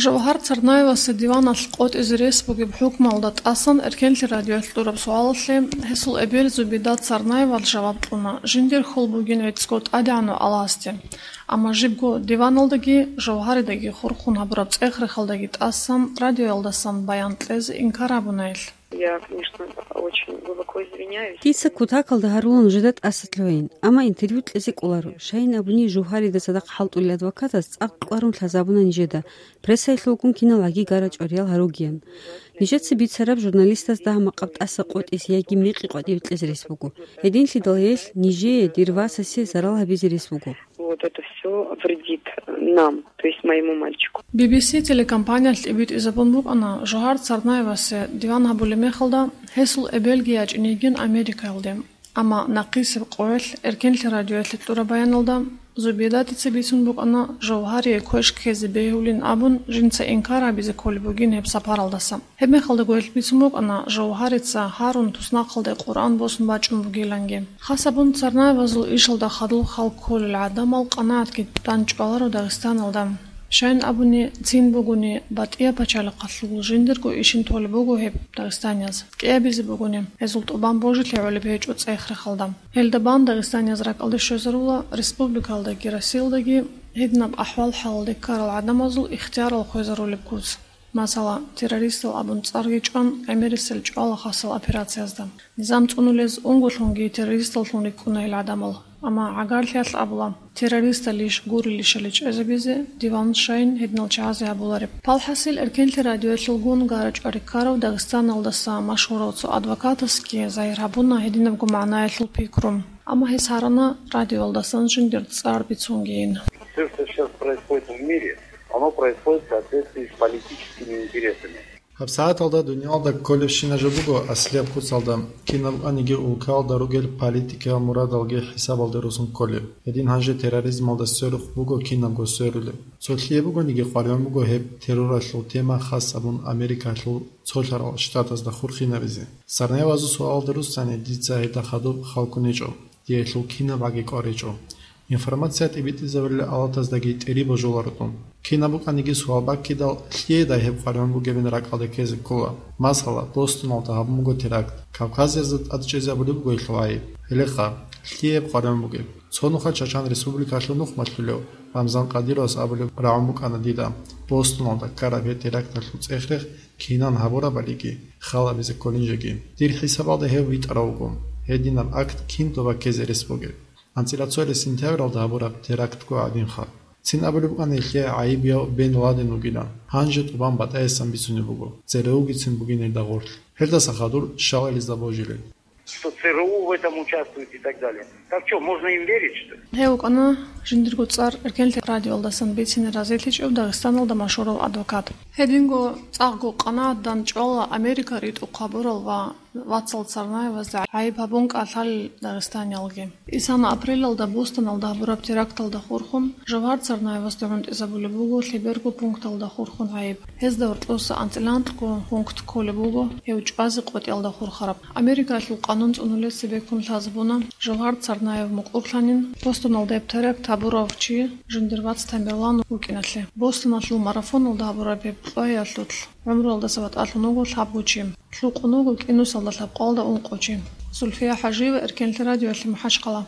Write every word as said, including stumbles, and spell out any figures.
Жавгьар Царнаевасе диваналъ къотӀизе рес бугеб хӀукмалда тӀасан Эркенлъи радиоялъ кьураб суалалъе гьесул эбел Зубедат Царнаевал жаваб кьуна, жиндир хьул бугин гӀицӀго ТӀадегӀанав Аллагьасде. Амма жибго диваналдаги, Жавгьаридаги хурхун гьабураб цӀех-рехалдаги тӀасан радиоялдасан баян кьезе инкар гьабуна гьелъ. Я, конечно, очень глубоко извиняюсь. Дица кутакалда гьарулаан нужеда тӀаса лъугьайин, амма интервью кьезе кӀоларо. Щайин абуни, Жавгьарида цадахъ хӀалтӀулел адвокатас цӀакъ кӀварун лъазабуна нижеда, прессаялъулгун киналгӀаги гара-чӀвариял гьаругеян. Нижеца бицараб журналистас дагь-макъаб тӀаса къотӀизе яги мекъи къватӀибе кьезе рес буго. Гьединлъидал гьелъ нижее, дир васасе зарал гьабизе рес буго. Вот это всё вредит нам, то есть моему мальчику. Би би си телекомпаниялъ тӀибитӀизабун букӀана Жавгьар Царнаевасе диван гьабулеб мехалда гьесул эбелги ячӀинейин Америкаялде. Амма нахъисеб къоялъ Эркенлъи радиоялъе кьураб баяналда Зубедатица бицун букӀана Жавгьарие квеш ккезе бегьулин абун, жинца инкар гьабизе кколеб бугин гьеб сапаралдаса. Гьебмехалдаго гьелъ бицун букӀана Жавгьарица гьарун туснахъалде Къуръан босун бачӀун бугиланги. Хасабун Царнаевазул ишалда хадуб хал кколел гӀадамал къанагӀатги данчӀваларо Дагъистаналда. Щайин абуни, цин бугони, батӀияб пачалихъалъул жиндирго ишин толеб буго гьеб дагъистанияз. КӀиабизе бугони, гьезул тӀубан божилъи гӀолеб гьечӀо цӀех-рехалда. Гьелда бан дагъистанияз ракӀалде щвезарула республикалдаги Россиялдаги гьединаб ахӀвал-хӀалалде ккарал гӀадамазул ихтиярал хвезарулеб куц. Масала, террористал абун цӀарги чӀван, гӀемерисел чӀвала хасал операциязда. Низам цӀунулез унголъунги террористаллъун рикӀкӀуна гьел гӀадамал, амма гӀагарлъиялъ абула, террористалищ гурилищали чӀезабизе диван щайин гьединал чагӀазе гьабулареб. Палхасил Эркенлъи радиоялъулгун гара-чӀвари ккарав Дагъистаналдаса машгьурав цо адвокатасги загьир гьабуна гьединабго магӀнаялъул пикру. Амма гьес гьарана радиоялдасан жиндир цӀар бицунгейин. Всё, что сейчас происходит в мире, оно происходит в соответствии с политическими интересами. ГьабсагӀаталда дуниялда кколебщина жо буго аслияб куцалда, кинаб аниги улкаялда ругел политикиял мурадалги хӀисабалде росун кколеб. Гьедин гьанже терроризмалда сверухъ буго кинабго сверулеб. Цо лъие бугониги къваригӀун буго гьеб терроралъул тема хас абун Америкалъул цолъарал штатазда хурхинабизе. Царнаевазул суалалда руссани дица гьелда хадуб хал ккун гьечӀо. Диялъул кинабгӀаги кӀвар гьечӀо. Информация тӀибитӀизабулел алатаздаги тӀери божуларо дун. Кинаб букӀаниги суал баккидал, лъиедай гьеб къваригӀун бугебин ракӀалде ккезе ккола. Масала, Бостоналда гьабун буго теракт. Кавказиязда тӀад чӀезабулеб буго гьелъул гӀайиб. Гьелеха, лъиеб къваригӀун бугеб? Цо нухалъ Чачан Республикалъул нух малъулев Рамзан Кадыровас абулеб рагӀун букӀана дида, Бостоналда ккараб гьеб теракталъул цӀех-рех кинан гьабурабалиги, хал гьабизе кколин жеги. Дир хӀисабалда гьев витӀарав вуго. Гьединаб акт кин тоба ккезе рес бугеб? АнцӀила цоялъ сентябралда гьабураб терактго гӀадинха. Цин абулеб букӀана гьелъие гӀайибияв Бен Ладен вугилан, гьанже тӀубан батӀаясан бицунеб буго, ЦРУ-гицин бугин гьелда гъорлъ. Гьелдаса хадур щал гьелезда божилел. Что ЦРУ в этом участвует и так далее. Так что, можно им верить, что ли? Гьев вукӀана жиндирго цӀар Эркенлъи радиоялдасан бицине разилъичӀев Дагъистаналда машгьурав адвокат. Гьединго цӀакъго къанагӀат данчӀвала Америка ритӀухъ гьабурал ва вацал Царнаевазда гӀайиб гьабун кӀалъалел дагъистаниялги. Исана апрелалда Бостоналда гьабураб теракталда хурхун, Жавгьар Царнаевасда гӀунтӀизабулеб буго лъеберго пункталда хурхун гӀайиб. Гьезда гьоркьоса анцӀила анкьго пункт кколеб буго гьев чӀвазе къотӀиялда хурхараб. Америкалъул къанун цӀунулел цебеккун лъазабуна Жавгьар Царнаев мукӀурлъанин Бостоналда гьеб теракт гьабурав чи жиндир вац Тамерлан вукӀиналъе. Бостоналъул марафоналда гьабураб гьеб кьваялъулъ гӀумруялдаса ватӀалъун вуго лъабго чи. Лъукъун вуго кӀинусалда лъабкъалда ункъо чи. Зульфия ХӀажиева, Эркенлъи радиоялъе, МахӀачхъала.